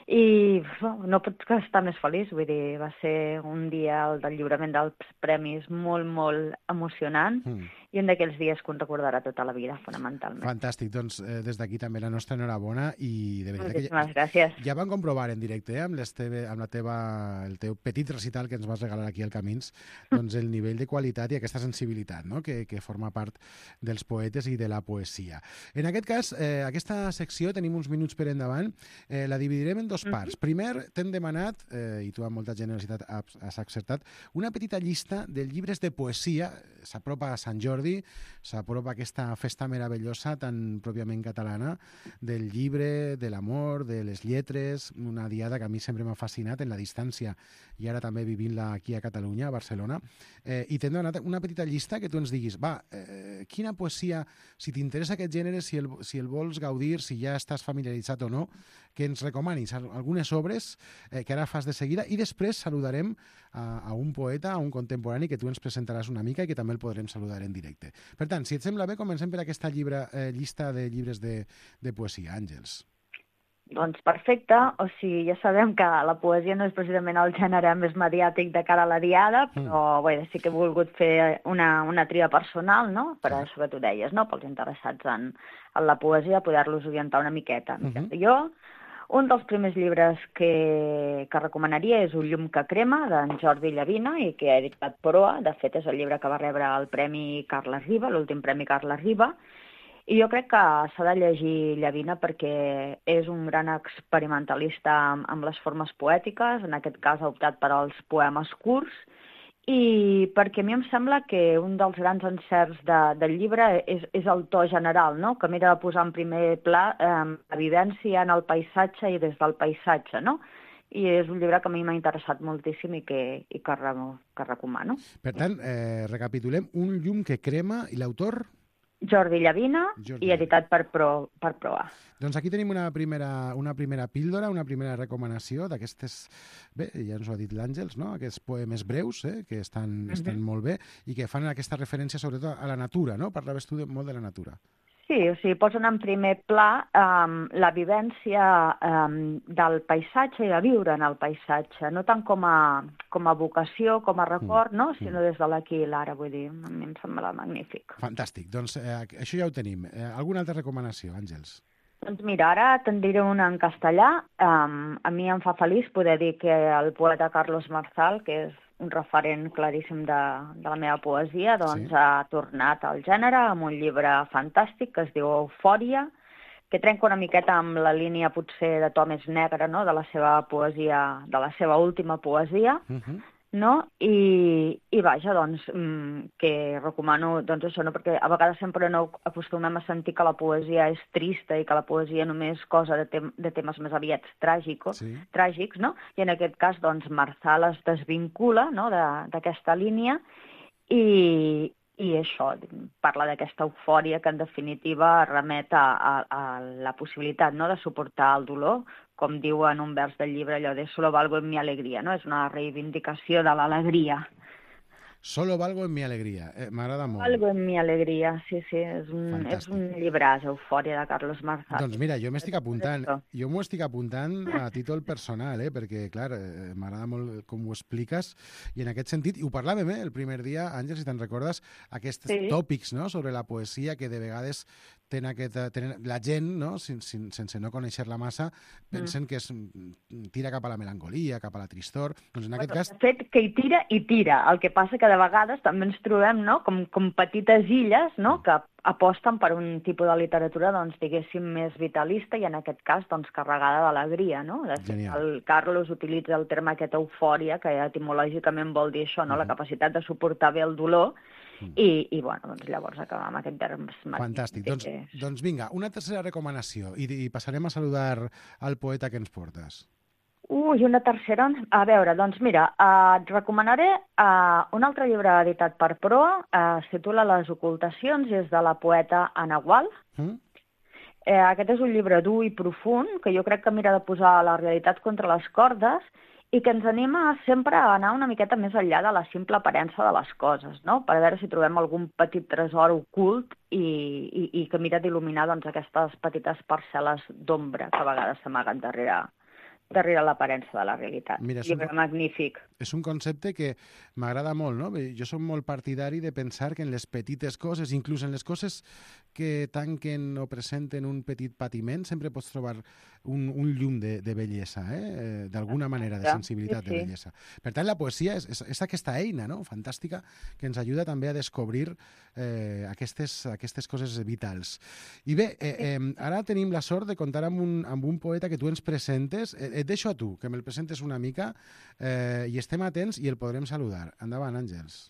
i no pots estar més feliç, vull dir, va ser un dia el del lliurament dels premis molt, molt emocionant, mm. i un d'aquells dies que un recordarà tota la vida, fonamentalment. Fantàstic, doncs eh, des d'aquí també la nostra enhorabona, i de veritat Moltíssimes que ja, gràcies. Ja vam comprovar en directe, eh, amb, les teve, amb la teva, el teu petit recital que ens vas regalar aquí al Camins, doncs el nivell de qualitat i aquesta sensibilitat, no?, que, que forma part dels poetes i de la poesia. En aquest cas, eh, aquesta secció, tenim uns minuts per endavant, eh, la dividirem en dos parts. Mm-hmm. Primer, t'hem demanat, eh, i tu amb molta generositat has, has acceptat, una petita llista de llibres de poesia. S'apropa a Sant Jordi, s'apropa aquesta festa meravellosa tan pròpiament catalana del llibre, de l'amor, de les lletres, una diada que a mi sempre m'ha fascinat en la distància i ara també vivint-la aquí a Catalunya, a Barcelona. Eh, I t'hem donat una petita llista que tu ens diguis, va, eh, quina poesia, si t'interessa aquest gènere, si el, si el vols gaudir, si ja estàs familiaritzat o no, que ens recomanis algunes obres eh, que ara fas de seguida, i després saludarem a, a un poeta, a un contemporani que tu ens presentaràs una mica i que també el podrem saludar en directe. Per tant, si et sembla bé, comencem per aquesta llibre, eh, llista de llibres de, de poesia. Àngels. Doncs perfecte, o sigui, ja sabem que la poesia no és precisament el gènere més mediàtic de cara a la diada, però mm. bé, sí que he volgut fer una, una tria personal, no?, per això que tu deies, no?, pels interessats en, en la poesia, poder-los orientar una miqueta. Mm-hmm. Jo, un dels primers llibres que, que recomanaria és Un llum que crema, d'en Jordi Llavina, i que ha editat Proa. De fet, és el llibre que va rebre el Premi Carles Riba, l'últim Premi Carles Riba, i jo crec que s'ha de llegir Llavina perquè és un gran experimentalista amb, amb les formes poètiques. En aquest cas ha optat per als poemes curts, i perquè a mi em sembla que un dels grans encerts de, del llibre és, és el to general, no?, que mira de posar en primer pla eh, la vivència en el paisatge i des del paisatge, no? I és un llibre que a mi m'ha interessat moltíssim i que, i que, que recomano. Per tant, eh, recapitulem, Un llum que crema, i l'autor? Jordi Llavina, Jordi. I editat per, Pro, per Proa. Doncs aquí tenim una primera, una primera píldora, una primera recomanació d'aquestes, bé, ja ens ho ha dit l'Àngels, no?, aquests poemes breus, eh, que estan, uh-huh. estan molt bé i que fan aquesta referència sobretot a la natura, no? Parlaves tu de, molt de la natura. Sí, o sigui, posen en primer pla um, la vivència um, del paisatge i de viure en el paisatge, no tant com a, com a vocació, com a record, mm. no?, sinó mm. des de l'aquí i l'ara, vull dir, a mi em sembla magnífic. Fantàstic, doncs eh, això ja ho tenim. Eh, alguna altra recomanació, Àngels? Doncs mira, ara te'n diré una en castellà. Um, a mi em fa feliç poder dir que el poeta Carlos Marzal, que és un referent claríssim de, de la meva poesia, doncs sí. ha tornat al gènere amb un llibre fantàstic que es diu Eufòria, que trenca una miqueta amb la línia potser de to més negre, no?, de la seva poesia, de la seva última poesia, uh-huh. no? I, i vaja, doncs, que recomano, doncs això, no? Perquè a vegades sempre no acostumem a sentir que la poesia és trista i que la poesia només cosa de, tem de temes més aviat tràgicos, sí. tràgics, no? I en aquest cas, doncs, Marzal es desvincula, no?, d'aquesta línia i, i això, parla d'aquesta eufòria que en definitiva remet a, a, a la possibilitat, no?, de suportar el dolor, com diu en un vers del llibre, allò de solo valgo en mi alegria, no? És una reivindicació de l'alegria. Solo valgo en mi alegria. Eh, M'agrada molt. Algo en mi alegria, sí, sí. És un, és un llibràs, Eufòria, de Carlos Marzal. Doncs mira, jo m'estic apuntant, jo m'ho estic apuntant a títol personal, eh? perquè, clar, eh, m'agrada molt com ho expliques, i en aquest sentit, i ho parlàvem eh, el primer dia, Àngel, si te'n recordes, aquests sí. tòpics no? sobre la poesia que de vegades ten aquest, ten, la gent, no? Sin, sin, sense no conèixer-la massa, pensen mm. que es tira cap a la melancolia, cap a la tristor. Doncs en aquest cas... De fet, que hi tira, i tira. El que passa que de vegades també ens trobem no? com, com petites illes no? que aposten per un tipus de literatura, doncs, diguéssim, més vitalista i en aquest cas doncs, carregada d'alegria. No? De fet, el Carlos utilitza el terme aquest eufòria, que etimològicament vol dir això, no? Mm. la capacitat de suportar bé el dolor. I, i bueno, doncs llavors acabem amb aquest terme. Fantàstic. Doncs, doncs vinga, una tercera recomanació i, i passarem a saludar al poeta que ens portes. Ui, una tercera? A veure, doncs mira, eh, et recomanaré eh, un altre llibre editat per Proa, eh, es titula Les ocultacions i és de la poeta Anna Gual. Mm? Eh, aquest és un llibre dur i profund que jo crec que mira de posar la realitat contra les cordes i que ens anima sempre a anar una miqueta més enllà de la simple aparença de les coses, no? Per veure si trobem algun petit tresor ocult i, i, i que mira d'il·luminar doncs, aquestes petites parcel·les d'ombra que a vegades s'amaguen darrere, darrere l'aparença de la realitat. Mira, llibre un, magnífic. És un concepte que m'agrada molt, no? Jo soc molt partidari de pensar que en les petites coses, inclús en les coses que tanquen o presenten un petit patiment, sempre pots trobar un, un llum de, de bellesa, eh? d'alguna manera, de sensibilitat, sí, sí. de bellesa. Per tant, la poesia és, és, és aquesta eina no? fantàstica que ens ajuda també a descobrir eh, aquestes, aquestes coses vitals. I bé, eh, eh, ara tenim la sort de comptar amb un, amb un poeta que tu ens presentes. Eh, et deixo a tu, que me'l presentes una mica eh, i estem atents i el podrem saludar. Endavant, Àngels.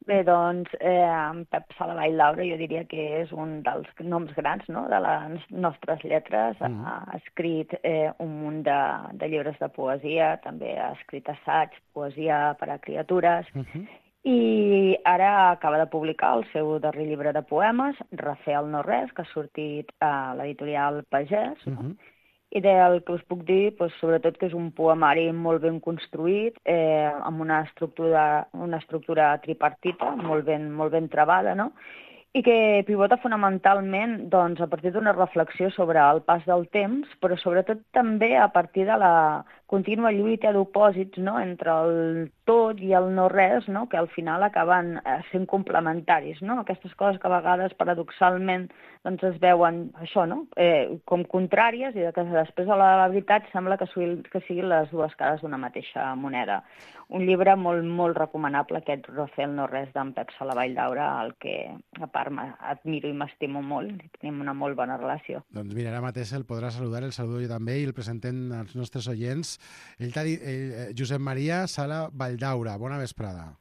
Bé, doncs, eh, en Pep Salavall Daura jo diria que és un dels noms grans no? de les nostres lletres. Mm. Ha escrit eh, un munt de, de llibres de poesia, també ha escrit assaig, poesia per a criatures, mm-hmm. i ara acaba de publicar el seu darrer llibre de poemes, Refer el no res, que ha sortit a l'editorial Pagès, mm-hmm. no? I del que us puc dir, doncs, sobretot que és un poemari molt ben construït, eh, amb una estructura, una estructura tripartita, molt ben, molt ben trebada, no? I que pivota fonamentalment doncs, a partir d'una reflexió sobre el pas del temps, però sobretot també a partir de la contínua lluita d'opòsits no? entre el tot i el no res, no? que al final acaben sent complementaris. No? Aquestes coses que a vegades, paradoxalment, doncs es veuen això, no? eh, com contràries i que després a la veritat sembla que, que siguin les dues cares d'una mateixa moneda. Un llibre molt, molt recomanable, aquest Refer el no res d'en Pep Salavall Daura, al que a part admiro i m'estimo molt, i tenim una molt bona relació. Doncs mira, ara mateix el podrà saludar, el saludo jo també i el presentem als nostres oients. Ell t'ha dit, eh, Josep Maria Sala Valldaura, bona vesprada.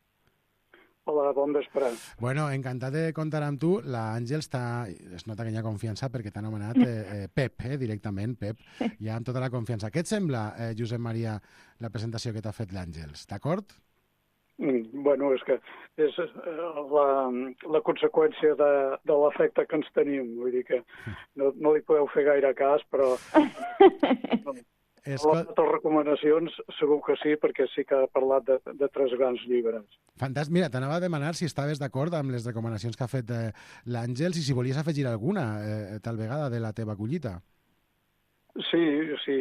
Hola, bon vespre. Bueno, encantat de comptar amb tu. L'Àngel està... Es nota que hi ha confiança perquè t'ha anomenat eh, eh, Pep, eh, directament, Pep. Hi ha tota la confiança. Què et sembla, eh, Josep Maria, la presentació que t'ha fet l'Àngels? D'acord? Mm, bueno, és que és la, la conseqüència de, de l'efecte que ens tenim. Vull dir que no, no li podeu fer gaire cas, però... No. A les altres recomanacions segur que sí, perquè sí que ha parlat de, de tres grans llibres. Fantàstic. Mira, t'anava a demanar si estaves d'acord amb les recomanacions que ha fet eh, l'Àngels i si volies afegir alguna, eh, tal vegada, de la teva collita. Sí, sí.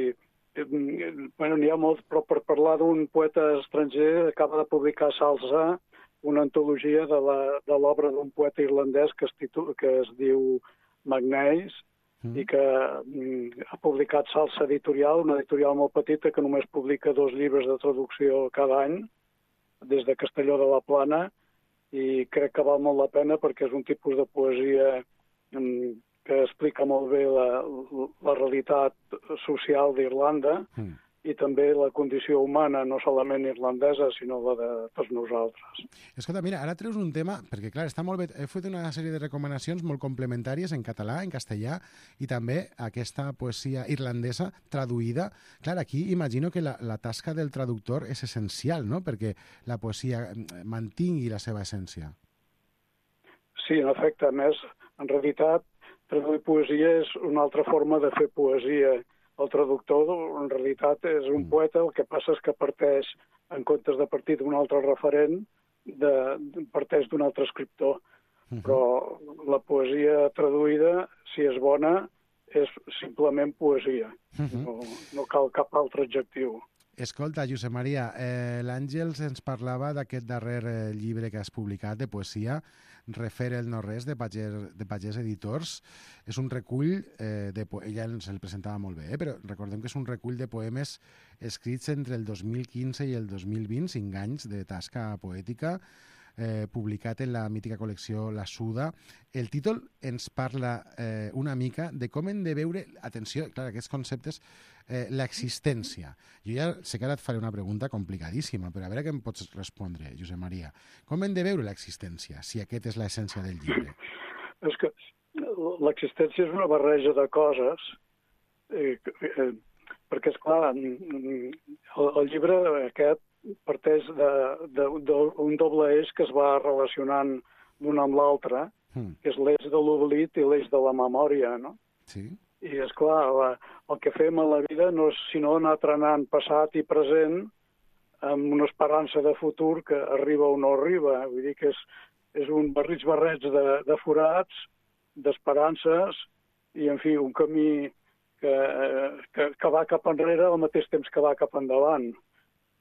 Bueno, n'hi ha molts, però per parlar d'un poeta estranger acaba de publicar Salsa, una antologia de l'obra d'un poeta irlandès que es, titu, que es diu Magnace, Mm. i que mm, ha publicat Salsa Editorial, una editorial molt petita que només publica dos llibres de traducció cada any, des de Castelló de la Plana, i crec que val molt la pena perquè és un tipus de poesia mm, que explica molt bé la, la realitat social d'Irlanda mm. i també la condició humana, no solament irlandesa, sinó la de tots nosaltres. Escolta, mira, ara treus un tema, perquè clar, està molt bé, he fet una sèrie de recomanacions molt complementàries en català, en castellà, i també aquesta poesia irlandesa traduïda. Clar, aquí imagino que la, la tasca del traductor és essencial, no?, perquè la poesia mantingui la seva essència. Sí, en efecte, a més, en realitat, traduir poesia és una altra forma de fer poesia. El traductor, en realitat, és un poeta, el que passa és que parteix, en comptes de partir d'un altre referent, de, de, parteix d'un altre escriptor. Uh-huh. Però la poesia traduïda, si és bona, és simplement poesia. Uh-huh. No, no cal cap altre adjectiu. Escolta, Josep Maria, eh, l'Àngels ens parlava d'aquest darrer eh, llibre que has publicat de poesia, Refer el no-res, de Pagès, de Pagès Editors. És un recull, eh, de po- ella ens el presentava molt bé, eh, però recordem que és un recull de poemes escrits entre el dos mil quinze i el dos mil vint, cinc anys de tasca poètica, eh, publicat en la mítica col·lecció La Suda. El títol ens parla eh, una mica de com hem de veure, atenció, clar, aquests conceptes, eh, l'existència. Jo ja sé que ara et faré una pregunta complicadíssima, però a veure què em pots respondre, Josep Maria. Com hem de veure l'existència, si aquest és l'essència del llibre? És que l'existència és una barreja de coses, eh, eh, perquè, esclar, el, el llibre aquest parteix d'un doble eix que es va relacionant d'un amb l'altre, mm. que és l'eix de l'oblit i l'eix de la memòria, no? Sí. I, esclar, la, el que fem a la vida no és sinó anar trenant passat i present amb una esperança de futur que arriba o no arriba. Vull dir que és, és un barrits barrets de, de forats, d'esperances, i, en fi, un camí que, que, que va cap enrere al mateix temps que va cap endavant.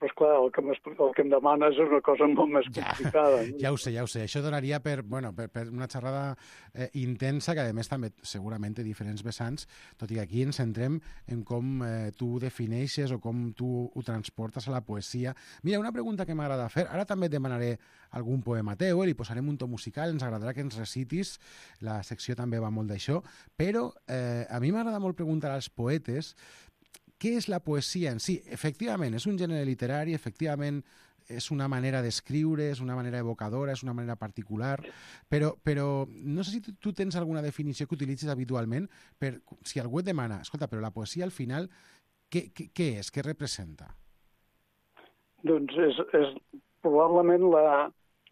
Però, esclar, el que, el que em demanes és una cosa molt més complicada. Ja, ja ho sé, ja ho sé. Això donaria per, bueno, per, per una xerrada eh, intensa, que a més també segurament té diferents vessants, tot i que aquí ens centrem en com eh, tu defineixes o com tu ho transportes a la poesia. Mira, una pregunta que m'agrada fer, ara també et demanaré algun poema teu, eh, li posarem un to musical, ens agradarà que ens recitis, la secció també va molt d'això, però eh, a mi m'agrada molt preguntar als poetes què és la poesia en si. Efectivament, és un gènere literari, efectivament és una manera d'escriure, és una manera evocadora, és una manera particular, però, però no sé si tu, tu tens alguna definició que utilitzes habitualment per, si algú et demana, escolta, però la poesia al final, què, què, què és, què representa? Doncs és, és probablement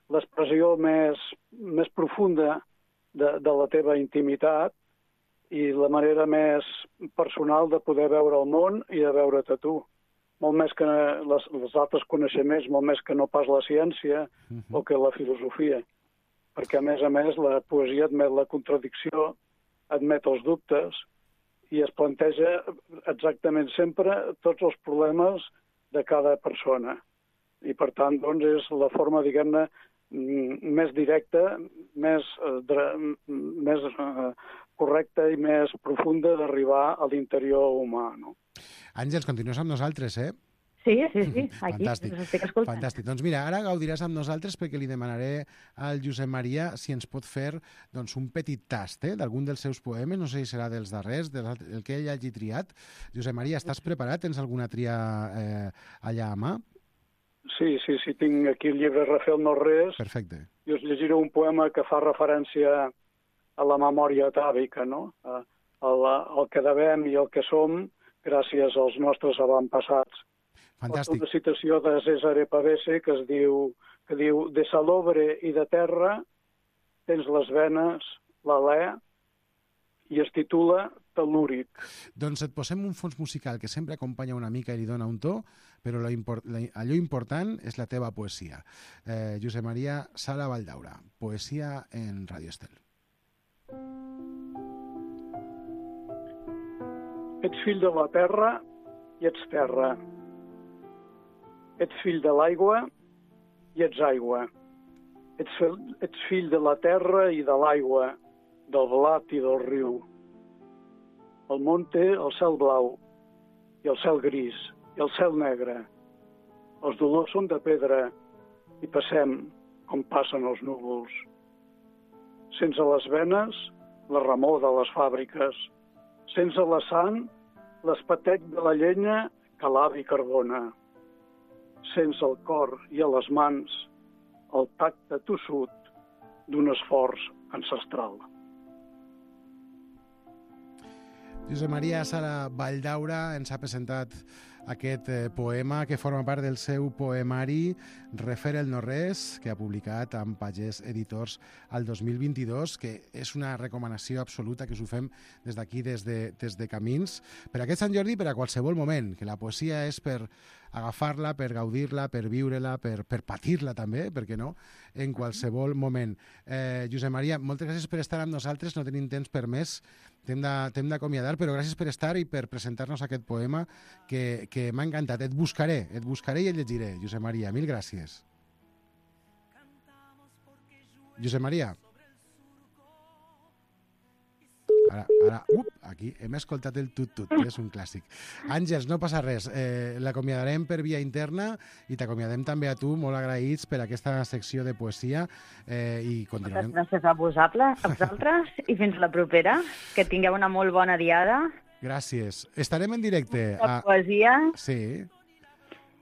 l'expressió més, més profunda de, de la teva intimitat, i la manera més personal de poder veure el món i de veure't a tu. Molt més que les, les altres coneixements, molt més que no pas la ciència uh-huh. o que la filosofia. Perquè, a més a més, la poesia admet la contradicció, admet els dubtes i es planteja exactament sempre tots els problemes de cada persona. I, per tant, doncs, és la forma, diguem-ne, més directa, més, eh, més eh, correcta i més profunda d'arribar a l'interior humà, no? Àngels, continues amb nosaltres, eh? Sí, sí, sí, aquí Fantàstic. us estic escoltant. Fantàstic. Doncs mira, ara gaudiràs amb nosaltres perquè li demanaré al Josep Maria si ens pot fer doncs, un petit tast eh, d'algun dels seus poemes, no sé si serà dels darrers, del que ell hagi triat. Josep Maria, estàs preparat? Tens alguna tria eh, allà a mà? Sí, sí, sí, tinc aquí el llibre Refer el no-res. Perfecte. I us llegiré un poema que fa referència a la memòria atàvica, no? A, a la, el que devem i el que som gràcies als nostres avantpassats. Fantàstic. Una citació de Cesare Pavese que es diu, que diu de salobre i de terra tens les venes, l'alè, i es titula Tel·lúric. Doncs et posem un fons musical que sempre acompanya una mica i li dona un to, però la import, la, allò important és la teva poesia. Eh, Josep Maria Sala Valldaura, poesia en Radio Estel. Ets fill de la terra i ets terra. Ets fill de l'aigua i ets aigua. Ets, ets fill de la terra i de l'aigua, del blat i del riu. El món té el cel blau i el cel gris i el cel negre. Els dolors són de pedra i passem com passen els núvols. Sense les venes, la remor de les fàbriques. Sense la sang, l'espatec de la llenya que l'avi carbona. Sense el cor i a les mans, el tacte tossut d'un esforç ancestral. Josep Maria Sala Valldaura ens ha presentat aquest eh, poema que forma part del seu poemari Refer el no-res, que ha publicat amb Pagès Editors al dos mil vint-i-dos, que és una recomanació absoluta que us ho fem des d'aquí, des de, des de Camins, per aquest Sant Jordi, per a qualsevol moment, que la poesia és per agafar-la, per gaudir-la, per viure-la, per, per patir-la també, per què no, en qualsevol moment. Eh, Josep Maria, moltes gràcies per estar amb nosaltres, no tenim temps per més, t'hem d'acomiadar, però gràcies per estar i per presentar-nos aquest poema que, que m'ha encantat. Et buscaré, et buscaré i et llegiré, Josep Maria, mil gràcies. Josep Maria. Ara, ara, up, aquí hem escoltat el tut-tut, que és un clàssic. Àngels, no passa res, eh, l'acomiadarem per via interna i t'acomiadem també a tu, molt agraïts per aquesta secció de poesia eh, i continuarem... Moltes gràcies a vosaltres, a vosaltres i fins la propera, que tingueu una molt bona diada. Gràcies. Estarem en directe... La poesia. Sí.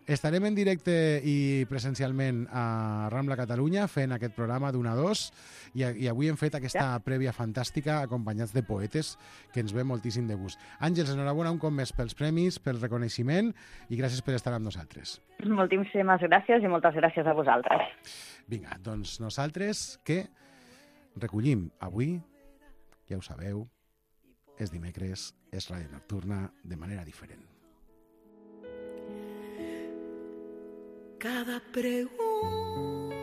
Estarem en directe i presencialment a Rambla Catalunya fent aquest programa d'una a dos i, i avui hem fet aquesta prèvia fantàstica acompanyats de poetes que ens ve moltíssim de gust. Àngels, enhorabona un cop més pels premis, pel reconeixement i gràcies per estar amb nosaltres. Moltíssimes gràcies i moltes gràcies a vosaltres. Vinga, doncs nosaltres que recollim avui, ja ho sabeu, és dimecres, és Ràdio Nocturna de manera diferent. Cada pregunta,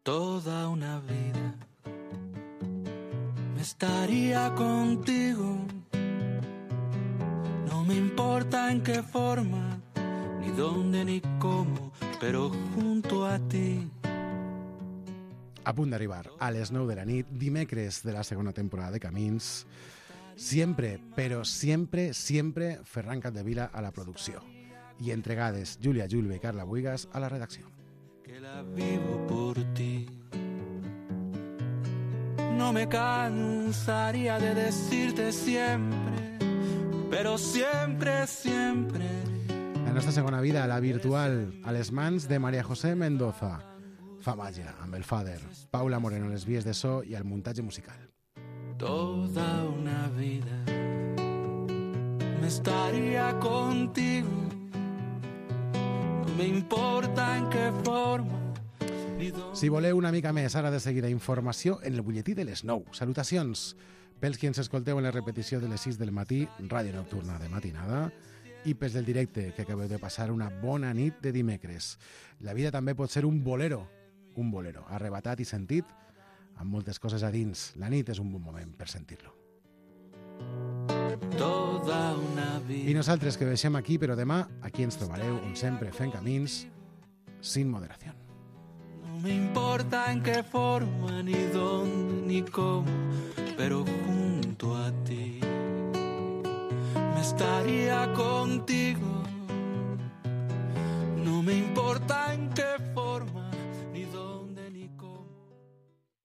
toda una vida, me estaría contigo. No me importa en qué forma, ni dónde ni cómo, pero junto a ti. A punt d'arribar a les nou de la nit, dimecres de la segona temporada de Camins. Siempre, però sempre, sempre Ferran Capdevila a la producció. Y entregades Julia Julve y Carla Buigas a la redacción. Que la vivo por ti. No me cansaría de decirte siempre, pero siempre, siempre. La nostra segona vida, la virtual, a les mans de María José Mendoza. Fa màgia amb el Fader, Paula Moreno a les vies de so i al muntatge musical. Toda una vida me estaría contigo. No me importa en qué forma. Si voleu una mica més ara de seguida informació en el butlletí de les nou. Salutacions pels qui ens escolteu en la repetició de les sis del matí, Ràdio Nocturna de matinada, i pels del directe, que acabeu de passar una bona nit de dimecres. La vida també pot ser un bolero, un bolero arrebatat i sentit, amb moltes coses a dins. La nit és un bon moment per sentir-lo. Toda una vida. I nosaltres que deixem aquí, però demà aquí ens trobareu, on sempre fent camins, sin moderación. No me importa en qué forma, ni dónde, ni cómo, pero junto a ti me estaría contigo. No me importa